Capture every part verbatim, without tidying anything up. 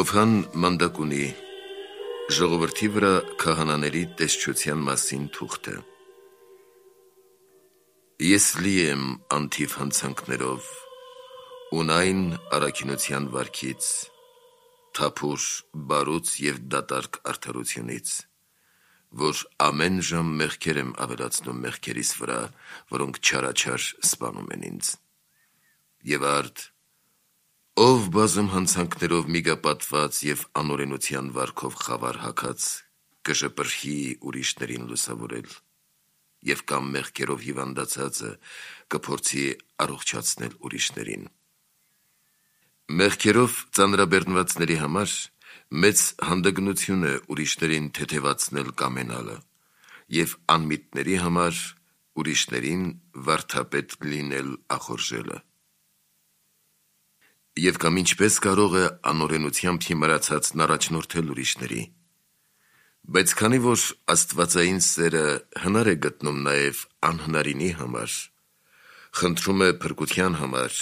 Հովհան մանդակ ունի ժողովրդի վրա քահանաների տեսչության մասին թուղթը։ Ես լի եմ անթիվ հանցանքներով, ունայն առաքինության վարքից, թափուր բարուց և դատարկ արդարությունից, որ ամեն ժամ մեղքեր եմ ավելացնում մեղքերիս վրա, որոնք չարաչար սպանում են ինձ։ Եվ արդ, ով բազում հանցանքներով միգապատված և անօրենության վարքով խավար հագած կժպրհի ուրիշներին լուսավորել, և կամ մեղքերով հիվանդացածը կփորձի առողջացնել ուրիշներին։ Մեղքերով ծանրաբեռնվածների համար մեծ հանդգնություն է ուրիշներին թեթևացնել կամենալը, և անմիտների համար ուրիշներին վարդապետ լինել ախորժելը։ Եվ կամ ինչպես կարող է անօրենությամբ հիմարացածն առաջնորդել ուրիշների, բայց քանի որ աստվածային սերը հնար է գտնում նաև անհնարինի համար, խնդրում է փրկության համար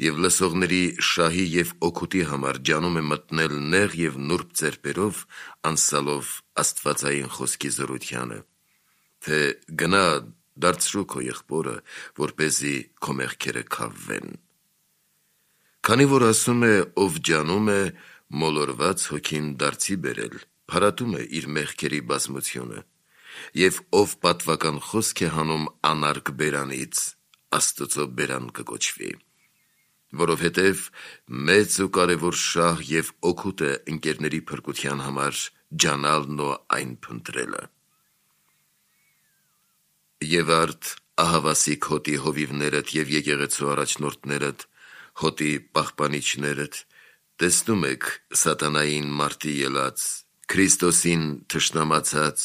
և լսողների շահի և օգուտի համար ջանում է մտնել նեղ և նուրբ ձեռքերով անսալով աստվածային խոսքի զորությանը, թե գնա դարձրու քո եղբորը, որպեսզի քո մեղքերը քավվեն։ Քանի որ ասում է, ով ջանում է, մոլորված հոգին դարձի բերել, փարատում է իր մեղքերի բազմությունը, և ով պատվական խոսք է հանում անարգ բերանից, Աստծո բերան կկոչվի, որովհետև մեծ ու կարևոր շահ և օգուտ է ընկերների փրկության համար ջանալն ու այն փնտրելը։ Եվ արդ ահավասիկ հոտի հովիվներդ և եկեղեցու առաջնորդներդ, հոտի պահպանիչներդ, տեսնում եք սատանային մարտի ելած, Քրիստոսին թշնամացած,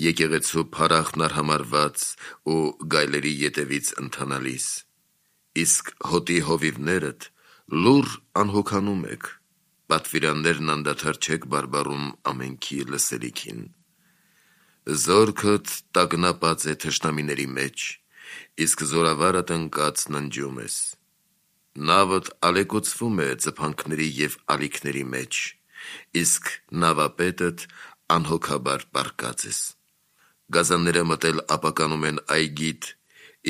եկեղեցու փառախն արհամարհված ու գայլերի ետևից ընթանալիս, իսկ հոտի հովիվներդ լուռ անհոգանում եք, պատվիրաններն անդադար չեք բարբառում ամենքի լսելիքին։ Զորքդ տագնապած է թշնամիների մեջ, իսկ զորավարդ ընկած ննջում ես։ Նավդ ալեկոծվում է ձփանքների և ալիքների մեջ, իսկ նավապետդ անհոգաբար պառկած ես։ Գազանները մտել ապականում են այգիդ,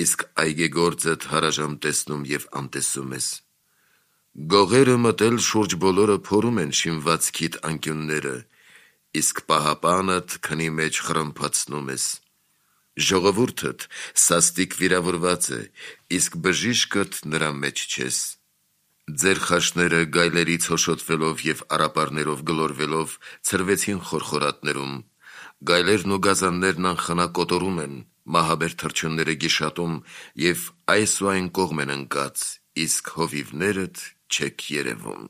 իսկ այգեգործդ հարաժամ տեսնում և անտեսում ես։ Գողերը մտել շուրջ բոլորը փորում են շինվածքիդ անկյունները, իսկ պահապանդ քնի մեջ խռմփացնում ես։ Ժողովուրդդ սաստիկ վիրավորված է, իսկ բժիշկդ նրա մեջ չես։ Ձեր խաշները գայլերից հոշոտվելով և առապարներով գլորվելով ցրվեցին խորխորատներում, գայլերն ու գազաններն անխնա կոտորում են, մահաբեր թռչունները գիշատում և այս ու այն կողմ են ընկած, իսկ հովիվներդ չեք երևում։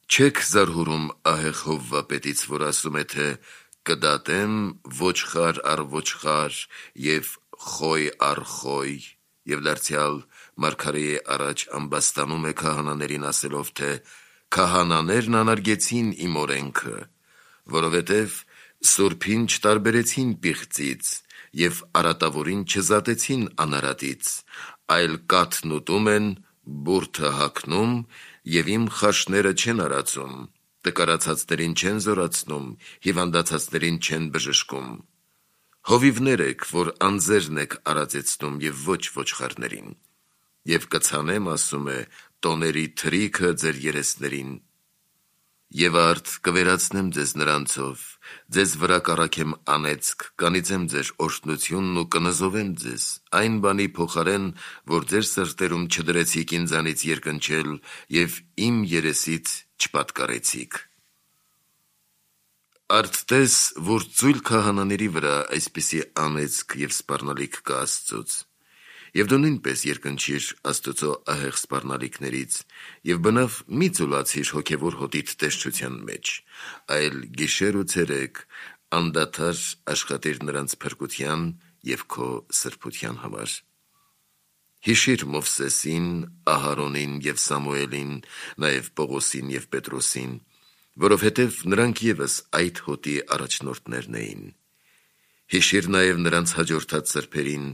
Չեք զարհուրում ահեղ հովվապետից, որ ասում է, թե կդատեմ ոչխար առ ոչխար և խոյ առ խոյ, և դարձյալ մարգարեի առաջ ամբաստանում է քահանաներին ասելով, թե քահանաներն անարգեցին իմ օրենքը, որովհետև սուրբին չտարբերեցին պիղծից և արատավորին չզատեցին անարատից, այլ կաթն ուտում են, բուրդը հագնում և իմ խաշները չեն արածում, տկարացածներին չեն զորացնում, հիվանդացածներին չեն բժշկում։ Հովիվներ եք, որ անձերն եք արածեցնում և ոչ ոչխարներին, և կցանեմ, ասում է, տոների թրիքը ձեր երեսներին։ Եվ արդ կվերացնեմ ձեզ նրանցով, ձեզ վրա կառաքեմ անեծք, կանիծեմ ձեր օրհնությունն ու կնզովեմ ձեզ, այն բանի փոխարեն, որ ձեր սրտերում չդրեցիք ինձանից երկնչել և իմ երեսից չպատկառեցիք։ Արդ տես, որ ծույլ քահանաների վրա այսպիսի անեծք և սպառնալիք կա Աստծուց, և դու նույնպես երկնչիր Աստծո ահեղ սպառնալիքներից և բնավ մի ծուլացիր հոգևոր հոտիդ տեսչության մեջ, այլ գիշեր ու ցերեկ անդադար աշխատիր նրանց փրկության և քո սրբության համար։ Հիշիր Մովսեսին, Ահարոնին և Սամուելին, նաև Պողոսին և Պետրոսին, որովհետև նրանք ևս այդ հոտի առաջնորդներն էին։ Հիշիր նաև նրանց հաջորդած սրբերին,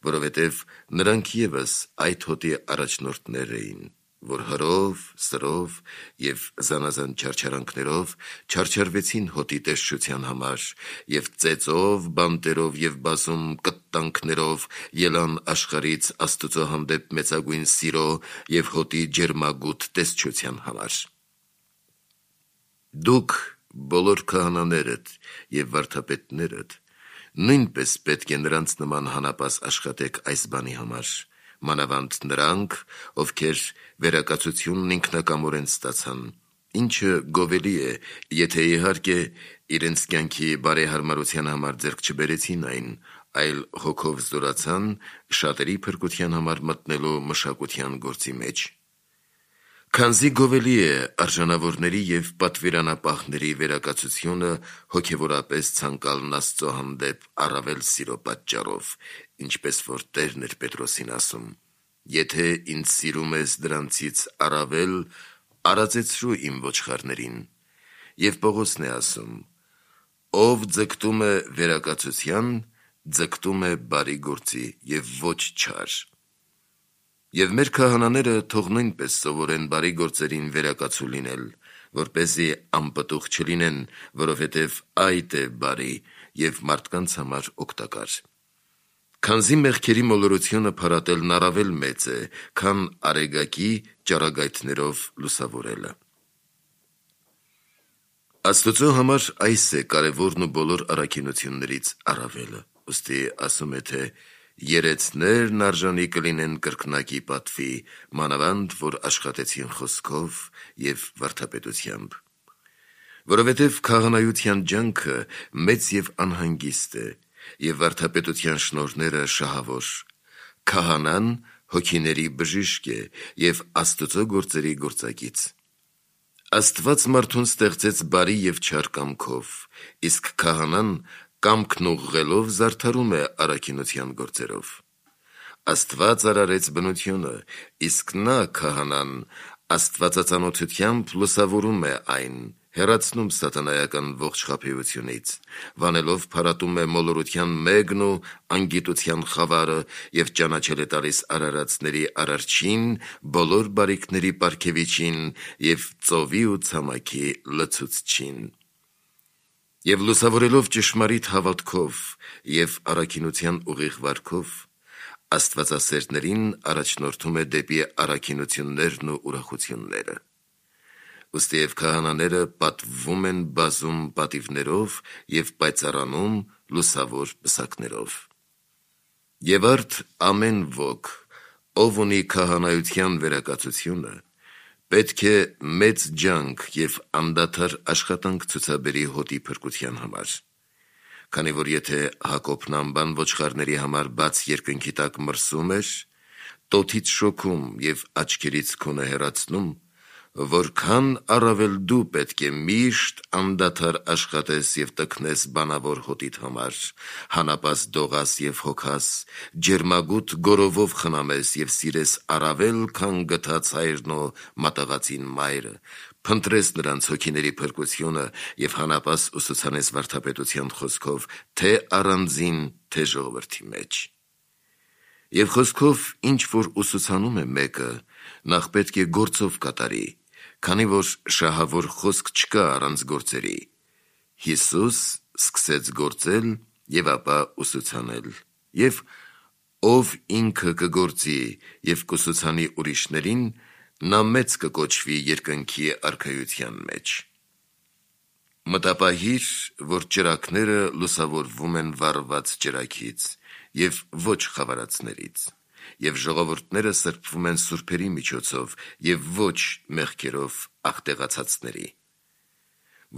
որովհետև նրանք ևս այդ հոտի առաջնորդներ էին։ որ հրով, սրով և զանազան չարչարանքներով չարչարվեցին հոտի տեսչության համար և ծեծով, բանտերով և բազում կտտանքներով ելան աշխարհից Աստծո հանդեպ մեծագույն սիրո և հոտի ջերմագութ տեսչության համար։ Դուք բոլոր քահանաներդ և վարդապետներդ նույնպես պետք է նրանց նման հանապաս աշխատեք այս բանի համար, մանավանդ նրանք, ովքեր վերակացությունն ինքնակամորեն ստացան, ինչը գովելի է, եթե իհարկե իրենց կյանքի բարեհարմարության համար ձեռք չբերեցին այն, այլ հոգով զորացան շատերի փրկության համար մտնելու մշակության գործի մեջ։ Քանզի գովելի է արժանավորների և պատվիրանապահների վերակացությունը հոգևորապես ցանկալն Աստծո հանդեպ առավել սիրո պատճառով, ինչպես որ Տերն էր Պետրոսին ասում. «Եթե ինձ սիրում ես դրանցից առավել, արածեցրու իմ ոչխարներին», և Պողոսն է ասում. «Ով ձգտում է վերակացության, ձգտում է բարի գործի և ոչ չար»։ Եվ մեր քահանաները թող նույնպես սովորեն բարի գործերին վերակացու լինել, որպեսզի անպտուղ չլինեն, որովհետև այդ է բարի և մարդկանց համար օգտակար։ Քանզի մեղքերի մոլորությունը փարատելն առավել մեծ է, քան արեգակի ճառագայթներով լուսավորելը։ Աստծո համար այս է կարևորն ու բոլոր առաքինություններից առավելը, ուստի ասում է, թե երեցներն արժանի կլինեն կրկնակի պատվի, մանավանդ, որ աշխատեցին խոսքով և վարդապետությամբ։ Որովհետև քահանայության ջանքը մեծ և անհանգիստ է, և վարդապետության շնորհները շահավոր։ Քահանան հոգիների բժիշկ է և Աստծո գործերի գործակից։ Աստված մարդուն ստեղծեց բարի և չար կամքով, իսկ քահանան կամքն ուղղելով զարդարում է առաքինության գործերով։ Աստված արարեց բնությունը, իսկ նա, քահանան, աստվածածանոթությամբ լուսավորում է այն, հեռացնում սատանայական ողջ խաբեությունից, վանելով փարատում է մոլորության մեղքն ու անգիտության խավարը և ճանաչել է տալիս արարածների Արարչին, բոլոր բարիքների պարգևիչին և ծովի ու ցամաքի լցուցչին։ Եվ լուսավորելով ճշմարիտ հավատքով և առաքինության ուղիղ վարքով, աստվածասերներին առաջնորդում է դեպի առաքինություններն ու ուրախությունները։ Ուստի և քահանաները պատվվում են բազում պատիվներով և պայծառանում լուսավոր պսակներով։ Եվ արդ ամեն ոք, ով ունի քահանայության վերակացությունը, պետք է մեծ ջանք և անդադար աշխատանք ցուցաբերի հոտի փրկության համար։ Քանի որ եթե Հակոբն անբան ոչխարների համար բաց երկնքի տակ մրսում էր, տոթից շոքում և աչքերից քունը հեռացնում, որքան առավել դու պետք է միշտ անդադար աշխատես և տքնես բանավոր հոտիդ համար, հանապաս դողաս և հոգաս, ջերմագութ գորովով խնամես և սիրես առավել, քան գթած հայրն ու մատաղածին մայրը, փնտրես նրանց հոգիների փրկությունը և հանապաս ուսուցանես վարդապետության խոսքով թե՛ առանձին, թե՛ ժողովրդի մեջ։ Եվ խոսքով ինչ որ ուսուցանում է մեկը, նախ պետք է գործով կատարի, քանի որ շահավոր խոսք չկա առանց գործերի։ Հիսուս սկսեց գործել և ապա ուսուցանել, և ով ինքը կգործի և կուսուցանի ուրիշներին, նա մեծ կկոչվի երկնքի արքայության մեջ։ Մտապահիր, որ ճրագները լուսավորվում են վառված ճրագից և ոչ խավարածներից, և ժողովուրդները սրբվում են սուրբերի միջոցով և ոչ մեղքերով աղտեղացածների։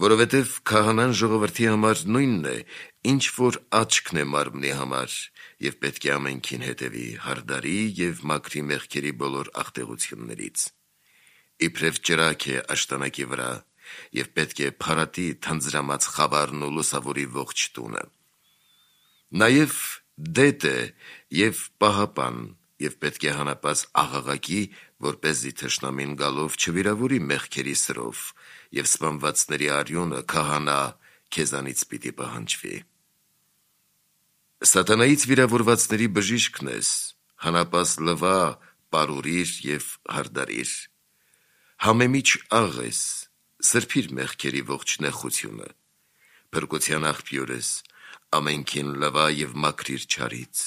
Որովհետև քահանան ժողովրդի համար նույնն է, ինչ որ աչքն է մարմնի համար, և պետք է ամենքին հետևի, հարդարի և մաքրի մեղքերի բոլոր աղտեղություններից։ Իբրև ճրագ է աշտանակի վրա, և պետք է փարատի թանձրամած խավարն ու լուսավորի ողջ տունը։ Նաև դետ է և պահապան, և պետք է հանապաս աղաղակի, որպեսզի թշնամին գալով չվիրավորի մեղքերի սրով, և սպանվածների արյունը, քահանա, քեզանից պիտի պահանջվի։ Սատանայից վիրավորվածների բժիշկն ես, հանապաս լվա, պարուրիր և հարդարիր, Համեմիջ աղ ես, սրբիր մեղքերի ողջ նեխությունը, փրկության աղբյուր ես, ամենքին լվա և մաքրիր չարից,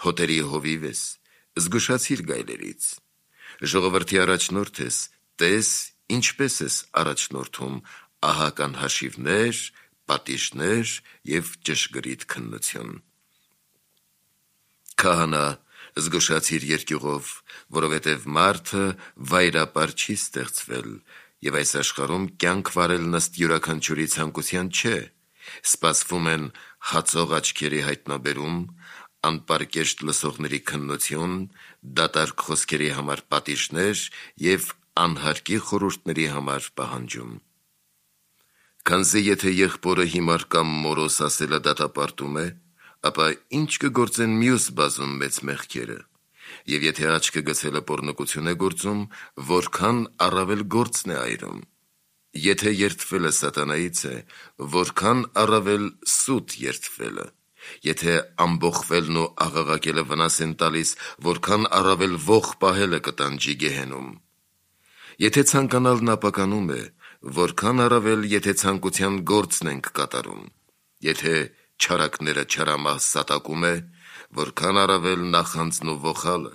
հոտերի հովիվ ես, զգուշացիր գայլերից, ժողովրդի առաջնորդ ես, տես ինչպես ես առաջնորդում ահական հաշիվներ, պատիժներ և ճշգրիտ քննություն։ Քահանա, զգուշացիր երկյուղով, որովհետև մարդը վայրապար չի ստեղծվել, և այս աշխարհում կյանք վարելն ըստ յուրաքանչյուրի ցանկության չէ, սպասվում են հացող աչքերի հայտնաբերում, անպարկեշտ լսողների քննություն, դատարկ խոսքերի համար պատիժներ և անհարկի խորհուրդների համար պահանջում։ Քանզի եթե եղբորը հիմար կամ մորոս ասելը դատապարտում է, ապա ինչ կգործեն մյուս բազում մեծ մեղքերը, և եթե աչքը գցելը պոռնկություն է գործում, որքան առավել գործն է այրում։ Եթե երդվելը սատանայից է, որքան առավել սուտ երդվելը, եթե ամբոխվելն ու աղաղակելը վնաս են տալիս, որքան առավել ոխ պահելը կտանջի գեհենում։ Եթե ցանկանալն ապականում է, որքան առավել եթե ցանկության գործն ենք կատարում, եթե չարակները չարամահ սատակում է, որքան առավել նախանձն ու ոխալը,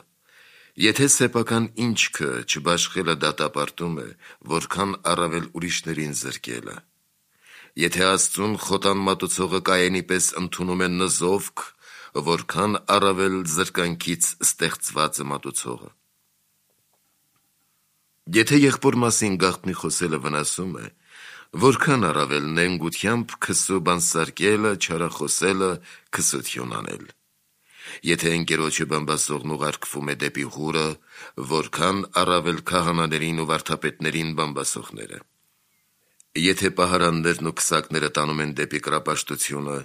եթե սեփական ինչքը չբաշխելը դատապարտում է, որքան առավել ուրիշներին զրկելը, եթե Աստծուն խոտան մատուցողը Կայենի պես ընդունում է նզովք, որքան առավել զրկանքից ստեղծվածը մատուցողը։ Եթե եղբոր մասին գաղտնի խոսելը վնասում է, որքան առավել նենգությամբ քսու բանսարկելը, չարախոսելը, քսություն անել։ Եթե ընկերոջը բամբասողն ուղարկվում է դեպի հուրը, որքան առավել քահանաներին ու վարդապետներին բամբասողները։ Եթե պահարաններն ու քսակները տանում են դեպի կրապաշտությունը,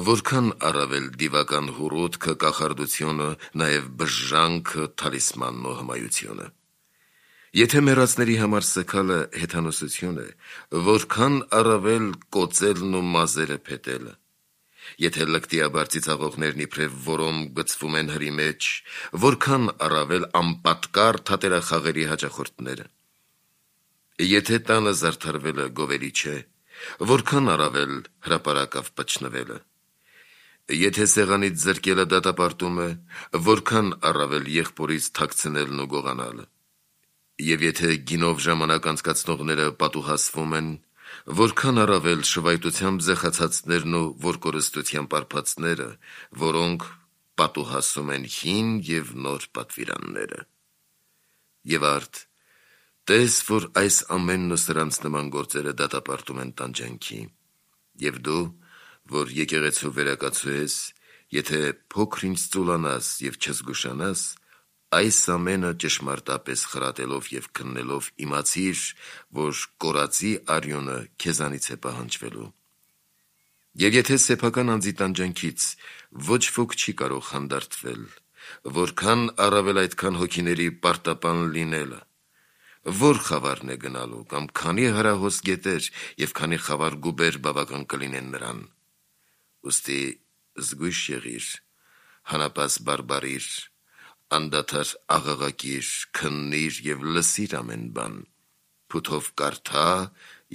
որքան առավել դիվական հուրուտքը, կախարդությունը, նաև բժժանքը, թալիսմանն ու հմայությունը։ Եթե մեռածների համար սգալը հեթանոսություն է, որքան առավել կոծելն ու մազերը փետելը։ Եթե լկտիաբար ծիծաղողներն իբրև որոմ գցվում են հրի մեջ, որքան առավել անպատկառ թատերախաղերի հաճախորդները։ Եթե տանը զարդարվելը գովելի չէ, որքան առավել հրապարակավ պչնվելը։ Եթե սեղանից զրկելը դատապարտում է, որքան առավել եղբորից թաքցնելն ու գողանալը։ Եվ եթե գինով ժամանակ անցկացնողները պատուհասվում են, որքան առավել շվայտությամբ զեղացածներն ու որկորստությամբ պարփածները, որոնք պատուհասում են հին և նոր պատվիրանները։ Եվ արդ, տես, որ այս ամենն ու սրանց նման գործերը դատապարտում են տանջանքի, և դու, որ եկեղեցու վերակացու ես, եթե փոքր-ինչ ծուլանաս և չզգուշանաս, այս ամենը ճշմարտապես խրատելով և քննելով իմացիր, որ կորածի արյունը քեզանից է պահանջվելու։ Եվ եթե սեփական անձի տանջանքից ոչ ոք չի կարող հանդարտվել, որքան առավել այդքան հոգիների պարտապան լինելը, որ խավարն է գնալու, կամ քանի հրահոս գետեր և քանի խավար գուբեր բավական կլինեն նրան։ Ուստի զգույշ եղիր, հանապաս բարբարիր, անդադար աղաղակիր, քննիր և լսիր ամեն բան, փութով կարդա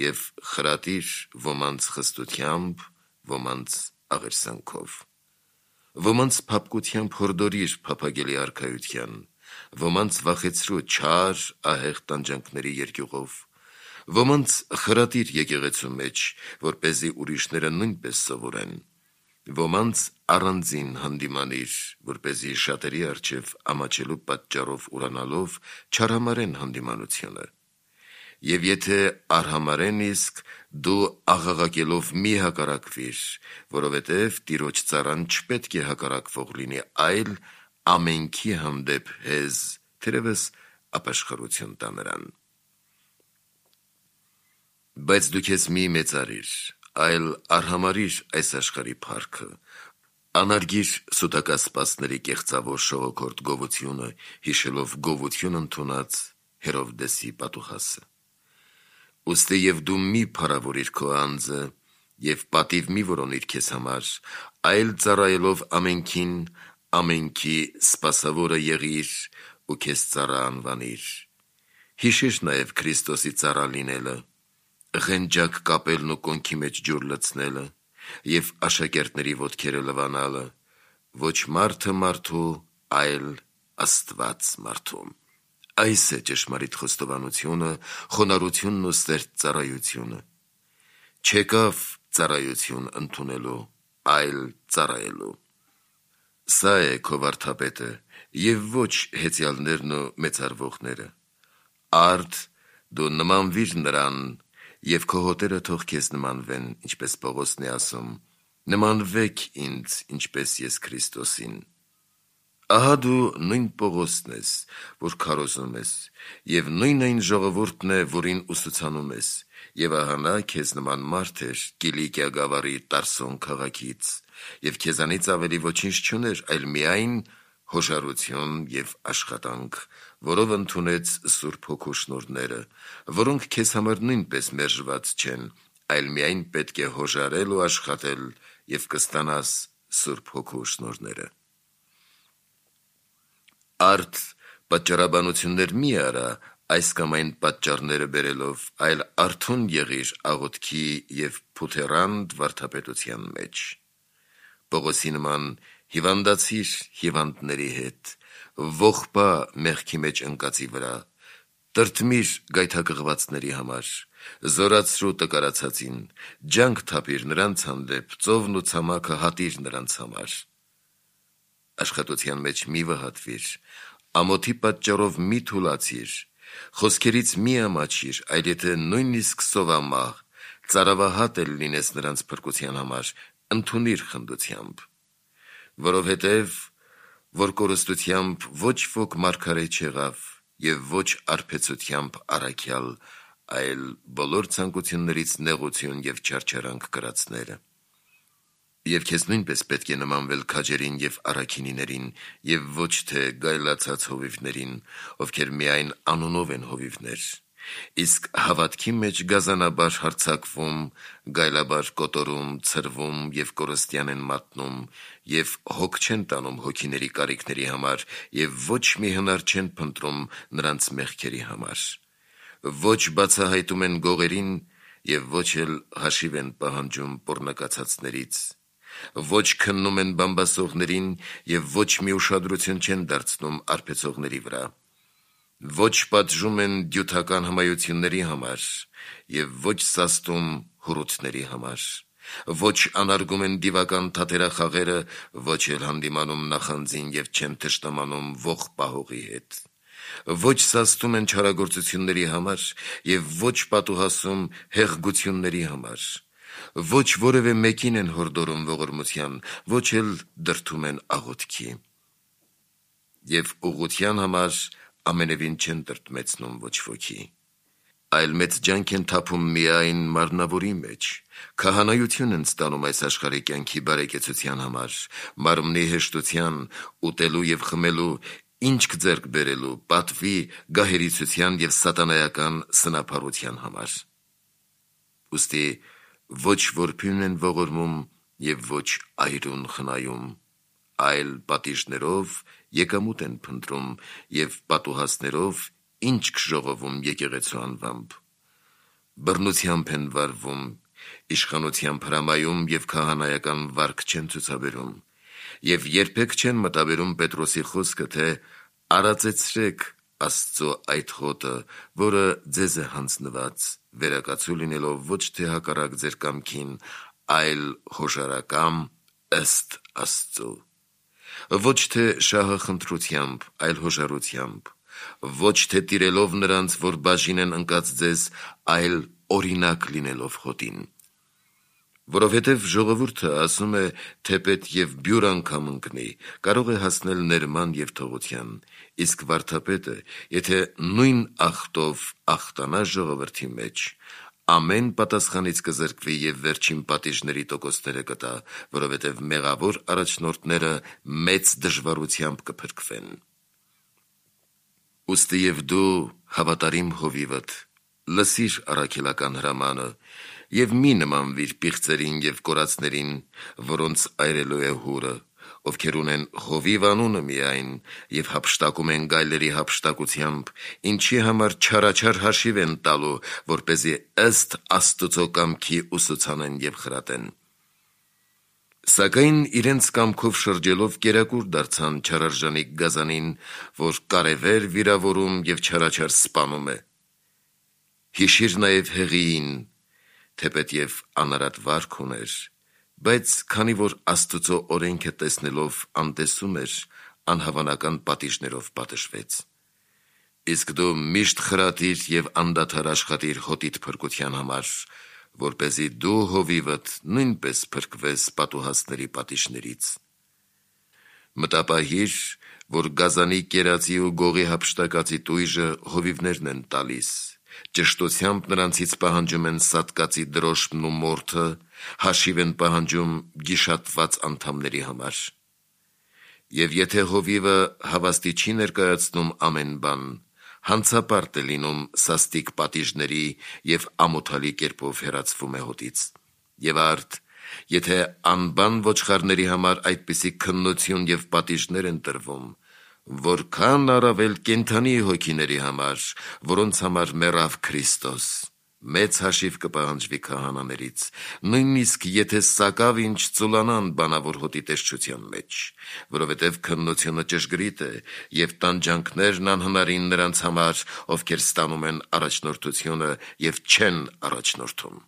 և խրատիր ոմանց խստությամբ, ոմանց աղերսանքով, ոմանց փափկությամբ հորդորիր փափագելի արքայության, ոմանց վախեցրու չար, ահեղ տանջանքների երկյուղով, ոմանց խրատիր եկեղեցու մեջ, որպեսզի ուրիշները նույնպես սովորեն, ոմանց առանձին հանդիմանիր, որպեսզի շատերի առջև ամաչելու պատճառով ուրանալով չարհամարեն հանդիմանությունը։ Եվ եթե արհամարեն իսկ, դու աղաղակելով մի հակառակվիր, որովհետև Տիրոջ ծառան չպետք է հակառակվող լինի, այլ ամենքի հանդեպ հեզ, թերևս ապաշխարություն տա նրան։ Բայց դու քեզ մի մեծարիր, այլ արհամարիր այս աշխարհի փառքը, անարգիր սուտակասպասների կեղծավոր շողոքորթ գովությունը, հիշելով գովություն ընդունած Հերովդեսի պատուհասը։ Ուստի և դու մի փառավորիր քո անձը և պատիվ մի որոնիր քեզ համար, այլ ծառայելով ամենքին, ամենքի սպասավորը եղիր ու քեզ ծառա անվանիր, Հիշիր նաև Քրիստոսի ծառա լինելը, ղենջակ կապելն ու կոնքի մեջ ջուր լցնելը և աշակերտների ոտքերը լվանալը, ոչ մարդը մարդու, այլ Աստված մարդու։ Այս է ճշմարիտ խոստովանությունը, խոնարհությունն ու սերտ ծառայությունը։ Չեկավ ծառայություն ընդունելու, այլ ծառայելու։ Սա է քո վարդապետը և ոչ հեծյալներն ու մեծարվողները։ Արդ դու նմանվիր նրան և քո հոտերը թող քեզ նմանվեն, ինչպես Պողոսն է ասում. նմանվեք ինձ, ինչպես ես Քրիստոսին։ Ահա դու նույն Պողոսն ես, որ քարոզում ես, և նույն այն ժողովուրդն է, որին ուսուցանում ես, և ահա նա քեզ նման մարդ էր Կիլիկիա գավառի Տարսոն քաղաքից, և քեզանից ավելի ոչինչ չուներ, այլ միայն հոժարություն և աշխատանք, որով ընդունեց Սուրբ Հոգու շնորհները, որոնք քեզ համար նույնպես մերժված չեն, այլ միայն պետք է հոժարել ու աշխատել, և կստանաս Սուրբ Հոգու շնորհները։ Արդ պատճառաբանություններ մի արա այս կամ այն պատճառները բերելով, այլ արթուն եղիր աղոթքի և փութեռանդ վարդապետության մեջ։ Պողոսի նման հիվանդացիր հիվանդների հետ, ողբա մեղքի մեջ ընկածի վրա, տրտմիր գայթակղվածների համար, զորացրու տկարացածին, ջանք թափիր նրանց հանդեպ, ծովն ու ցամաքը հատիր նրանց համար։ Աշխատության մեջ մի վհատվիր, ամոթի պատճառով մի թուլացիր, խոսքերից մի ամաչիր, այլ եթե նույնիսկ սովամահ, ծարավահատ էլ լինես նրանց փրկության համար, ընդունիր խնդությամբ, որովհետև որ կորստությամբ ոչ ոք մարգարե չեղավ և ոչ արբեցությամբ առաքյալ, այլ բոլոր ցանկություններից նեղություն և չարչարանք կրածները։ Եվ քեզ նույնպես պետք է նմանվել քաջերին և առաքինիներին, և ոչ թե գայլացած հովիվներին, ովքեր միայն անունով են հովիվներ, իսկ հավատքի մեջ գազանաբար հարձակվում, գայլաբար կոտորում, ցրվում և կորստյան են մատնում, և հոգ չեն տանում հոգիների կարիքների համար, և ոչ մի հնար չեն փնտրում նրանց մեղքերի համար, ոչ բացահայտում են գողերին և ոչ էլ հաշիվ են պահանջում պոռնակացածներից, ոչ քննում են բամբասողներին և ոչ մի ուշադրություն չեն դարձնում արբեցողների վրա, ոչ պատժում են դյութական հմայությունների համար և ոչ սաստում հուրութների համար, ոչ անարգում են դիվական թատերախաղերը, ոչ էլ հանդիմանում նախանձին և չեն թշնամանում ոխ պահողի հետ, ոչ սաստում են չարագործությունների համար և ոչ պատուհասում հեղգությունների համար, ոչ որևէ մեկին են հորդորում ողորմության, ոչ էլ դրդում են աղոթքի, և ուղղության համար ամենևին չեն տրտմեցնում ոչ ոքի, այլ մեծ ջանք են թափում միայն մարմնավորի մեջ, քահանայություն են ստանում այս աշխարհի կյանքի բարեկեցության համար, մարմնի հեշտության, ուտելու և խմելու, ինչք ձեռք բերելու, պատվի, գահերիցության և սատանայական սնափառության համար։ Ուստի ոչ որբին են ողորմում և ոչ այրուն խնայում, այլ պատիժներով եկամուտ են փնտրում և պատուհասներով ինչք ժողովում եկեղեցու անվամբ, բռնությամբ են վարվում, իշխանությամբ հրամայում և քահանայական վարք չեն ցուցաբերում, և երբեք չեն մտաբերում Պետրոսի խոսքը, թե արածեցրեք Աստծո այդ խոտը, որը ձեզ է հանձնված, վերակացու լինելով ոչ թե հակառակ ձեր կամքին, այլ հոժարակամ ըստ Աստծու, ոչ թե շահախնդրությամբ, այլ հոժարությամբ, ոչ թե տիրելով նրանց, որ բաժին են ընկած ձեզ, այլ օրինակ լինելով խոտին։ Որովհետև ժողովուրդը ասում է, թեպետ և բյուր անգամ ընկնի, կարող է հասնել ներման և թողության, իսկ վարդապետը, եթե նույն ախտով ախտանա ժողովրդի մեջ, ամեն պատասխանից կզրկվի և վերջին պատիժների տոկոսները կտա, որովհետև մեղավոր առաջնորդները մեծ դժվարությամբ կփրկվեն։ Ուստի և դու, հավատարիմ հովիվդ, լսիր առաքելական հրամանը և մի նմանվիր պիղծերին և կորածներին, որոնց այրելու է հուրը, ովքեր ունեն հովիվ անունը միայն եւ հափշտակում են գայլերի հափշտակությամբ, ինչի համար չարաչար հաշիվ են տալու, որպեսզի ըստ Աստծո կամքի ուսուցանեն եւ խրատեն։ Սակայն իրենց կամքով շրջելով կերակուր դարձան չարարժանիկ գազանին, որ կարևեր վիրավորում եւ չարաչար սպանում է։ Հիշիր նաեւ Հեղիին, թեպետև անարատ վարք ուներ, բայց քանի որ Աստծո օրենքը տեսնելով անտեսում էր, անհավանական պատիժներով պատժվեց։ Իսկ դու միշտ խրատիր եւ անդադար աշխատիր հոտիդ փրկության համար, որպեսզի դու հովիվդ նույնպես փրկվես պատուհասների պատիժներից։ Մտապահիր, որ գազանի կերածի ու գողի հափշտակածի տույժը հովիվներն են տալիս, ճշտությամբ նրանցից պահանջում են սատկածի դրոշմն ու մորթը, հաշիվ են պահանջում գիշատված անդամների համար։ Եվ եթե հովիվը հավաստի չի ներկայացնում ամեն բան, հանցապարտ է լինում սաստիկ պատիժների եւ ամոթալի կերպով հեռացվում է հոտից։ Եվ արդ, եթե անբան ոչխարների համար այդպիսի քննություն եւ պատիժներ են տրվում, որքան առավել կենդանի հոգիների համար, որոնց համար մեռավ Քրիստոս, մեծ հաշիվ կպահանջվի քահանաներից, նույնիսկ եթե սակավ ինչ ծուլանան բանավոր հոտի տեսչության մեջ, որովհետև քննությունը ճշգրիտ է եւ տանջանքներն անհնարին նրանց համար, ովքեր ստանում են առաջնորդությունը եւ չեն առաջնորդում։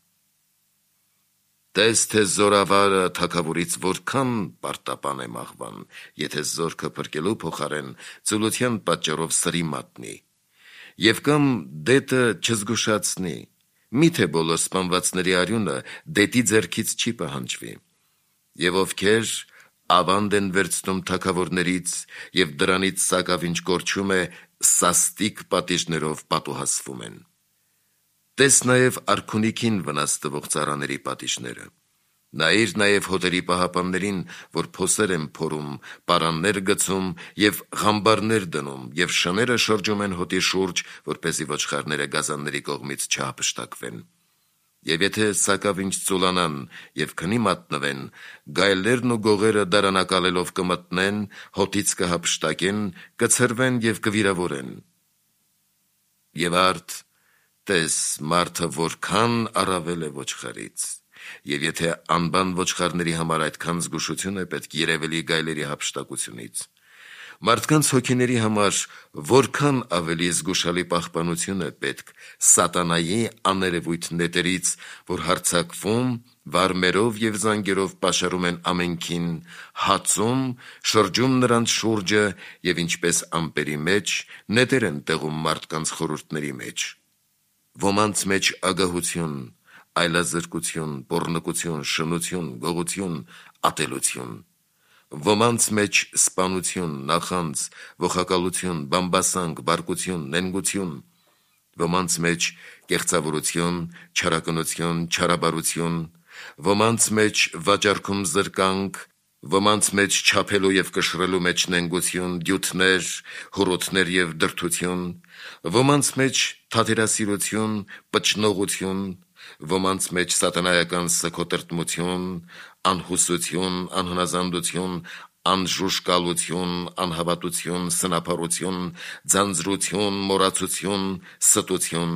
Տես թե զորավարը թագավորից որքան պարտապան է մահվան, եթե զորքը փրկելու փոխարեն ծուլության պատճառով սրի մատնի, եւ կամ դետը չզգուշացնի, միթե բոլոր սպանվածների արյունը դետի ձեռքից չի պահանջվի, եւ ովքեր ավանդ են վերցնում թագավորներից եւ դրանից սակավ ինչ կորչում է, սաստիկ պատիժներով պատուհասվում են։ Տես նաև արքունիքին վնաս տվող ծառաների պատիժները։ Նայիր նաև հոտերի պահապաններին, որ փոսեր են փորում, պարաններ գցում եւ ղամբարներ դնում, եւ շները շրջում են հոտի շուրջ, որպեսզի ոչխարները գազանների կողմից չհափշտակվեն։ Եվ եթե սակավ ինչ ծուլանան եւ քնի մատնվեն, գայլերն ու գողերը դարանակալելով կմտնեն, հոտից կհափշտակեն, կցրվեն եւ կվիրավորեն։ Եվ արդ, տես մարդը որքան առավել է ոչխարից, եւ եթե անբան ոչխարների համար այդքան զգուշություն է պետք երևելի գայլերի հափշտակությունից, մարդկանց հոգիների համար որքան ավելի զգուշալի պահպանություն է պետք սատանայի աներևույթ նետերից, որ հարձակվում, վարմերով եւ զանգերով պաշարում են ամենքին, հացում, շրջում նրանց շուրջը եւ ինչպես ամպերի մեջ նետեր են տեղում մարդկանց խորհուրդների մեջ։ Ոմանց մեջ ագահություն, այլազրկություն, պոռնկություն, շնություն, գողություն, ատելություն, ոմանց մեջ սպանություն, նախանձ, ողակալություն, բամբասանք, բարկություն, նենգություն, ոմանց մեջ կեղծավորություն, չարակնություն, չարաբարություն, ոմանց մեջ վաճառքում զրկանք, ոմանց մեջ չափելու եւ կշռելու մեջ նենգություն, դյութներ, հորոթներ եւ դրդություն, ոմանց մեջ թատերասիրություն, պճնողություն, ոմանց մեջ սատանայական սգոտրտմություն, անհուսություն, անհնազանդություն, անժուժկալություն, անհավատություն, սնափառություն, ձանձրություն, մոռացություն, ստություն,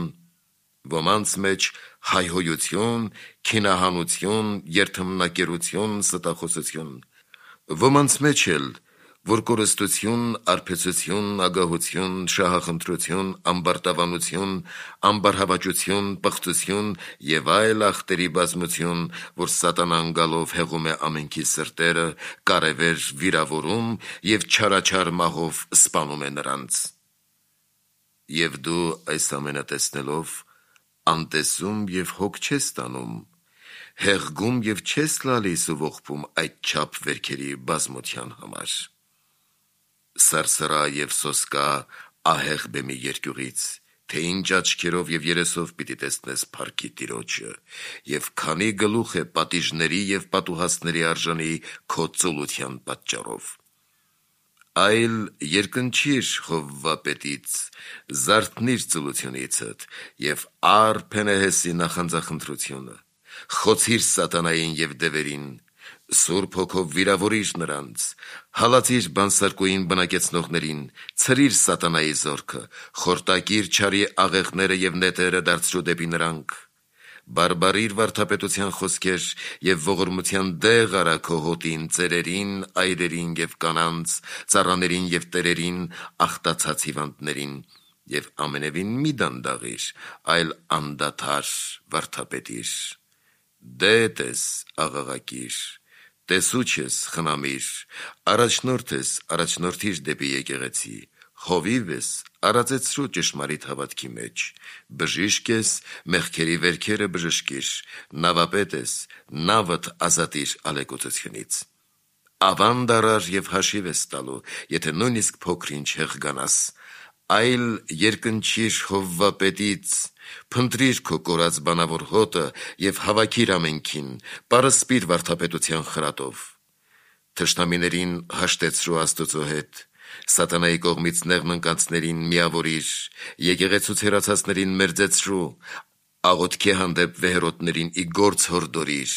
ոմանց մեջ հայհոյություն, քինահանություն, երթմնակերություն, ստախոսություն, ոմանց մեջ էլ որ կորստություն, արբեցություն, ագահություն, շահախնդրություն, ամբարտավանություն, ամբարհավաճություն, պղծություն եւ այլ ախտերի բազմություն, որ սատանան գալով հեղում է ամենքի սրտերը, կարևեր վիրավորում եւ չարաչար մահով սպանում է նրանց։ Եվ դու այս ամենը տեսնելով անտեսում եւ հոգ չես տանում, հեղգում եւ չես լալիս ու ողբում այդ չափ վերքերի բազմության համար։ Սարսրա եւ սոսկա ահեղ բեմի երկյուղից, թե ինչ աչքերով եւ երեսով պիտի տեսնես փառքի Տիրոջը, եւ քանի գլուխ է պատիժների եւ պատուհասների արժանի քո ծուլության պատճառով։ Այլ երկնչիր Խովվապետից, զարթնիր ծուլությունիցդ եւ առ Փենեհեսի նախանձախնդրությունը, խոցիր սատանային եւ դևերին, Սուրբ հոգով վիրավորիր նրանց, հալածիր բանսարկուին բնակեցնողներին, ցրիր սատանայի զորքը, խորտակիր չարի աղեղները եւ նետերը դարձրու դեպի նրանք, բարբարիր վարդապետության խոսքեր եւ ողորմության դեղ արա քո հոտին, ծերերին, այրերին եւ կանանց, ծառաներին եւ տերերին, ախտացած հիվանդներին եւ ամենևին մի դանդաղիր, այլ անդադար վարդապետիր, դետես աղաղակիր, տեսուչ ես խնամիր, առաջնորդ ես առաջնորդիր դեպի եկեղեցի, հովիվ ես արածեցրու ճշմարիտ հավատքի մեջ, բժիշկ ես մեղքերի վերքերը բժշկիր, նավապետ ես նավդ ազատիր ալեկոծությունից, ավանդ արար եւ հաշիվ ես տալու, եթե նույնիսկ փոքրինչ հեղգանաս, այլ երկնչիր Հովվապետից, փնտրիր քո կորած բանավոր հոտը եւ հավաքիր ամենքին, պարսպիր վարդապետության խրատով, թշնամիներին հաշտեցրու Աստծո հետ, սատանայի կողմից նեղն ընկածներին միավորիր, եկեղեցուց հեռացածներին մերձեցրու, աղոթքի հանդեպ վեհերոտներին ի գործ հորդորիր,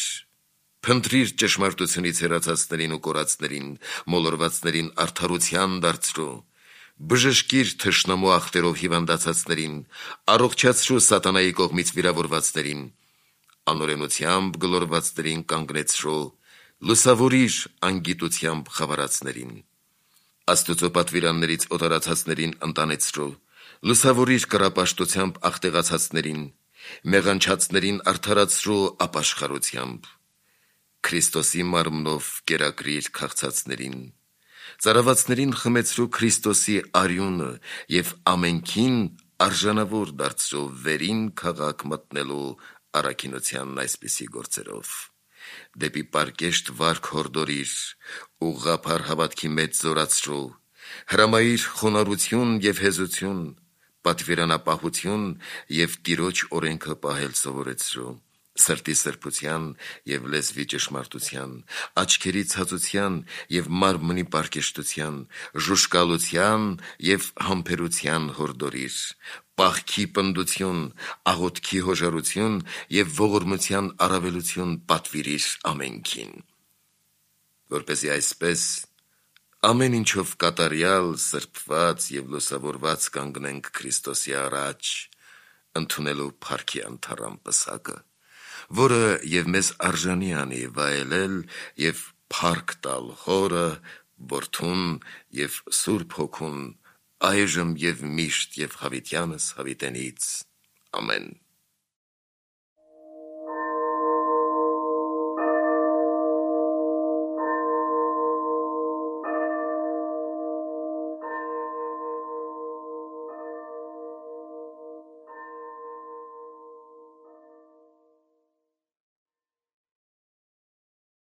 փնտրիր ճշմարտությունից հեռացածներին ու կորածներին, մոլորվածներին արդարության դարձրու, բժշկիր թշնամու ախտերով հիվանդացածներին, առողջացրու սատանայի կողմից վիրավորվածներին, անօրենությամբ գլորվածներին կանգնեցրու, լուսավորիր անգիտությամբ խավարածներին, Աստծո պատվիրաններից օտարացածներին ընտանեցրու, լուսավորիր կռապաշտությամբ աղտեղացածներին, մեղանչածներին արդարացրու ապաշխարությամբ, Քրիստոսի մարմնով կերակրիր քաղցածներին, ծարավածներին խմեցրու Քրիստոսի արյունը եւ ամենքին արժանավոր դարձրու վերին քաղաք մտնելու առաքինությանն այսպիսի գործերով, դեպի պարկեշտ վարք հորդորիր, ուղղափառ հավատքի մեջ զորացրու, հրամայիր խոնարհություն եւ հեզություն, պատվիրանապահություն եւ Տիրոջ օրենքը պահել սովորեցրու, սրտի սրբության եւ լեզվի ճշմարտության, աչքերի ցածության եւ մարմնի պարկեշտության, ժուշկալության եւ համբերության հորդորիր, պաղքի պնդություն, աղոթքի հոժարություն եւ ողորմության առավելություն պատվիրիր ամենքին, որպեսզի այսպես ամեն ինչով կատարյալ, սրբված եւ լուսավորված կանգնենք Քրիստոսի առաջ, ընդունելու փառքի անթառամ պսակը, որը եւ մեզ արժանի անի վայելել եւ փառք տալ Հորը, Որդուն եւ Սուրբ Հոգուն, այժմ եւ միշտ եւ հավիտյանս հավիտենից, ամեն։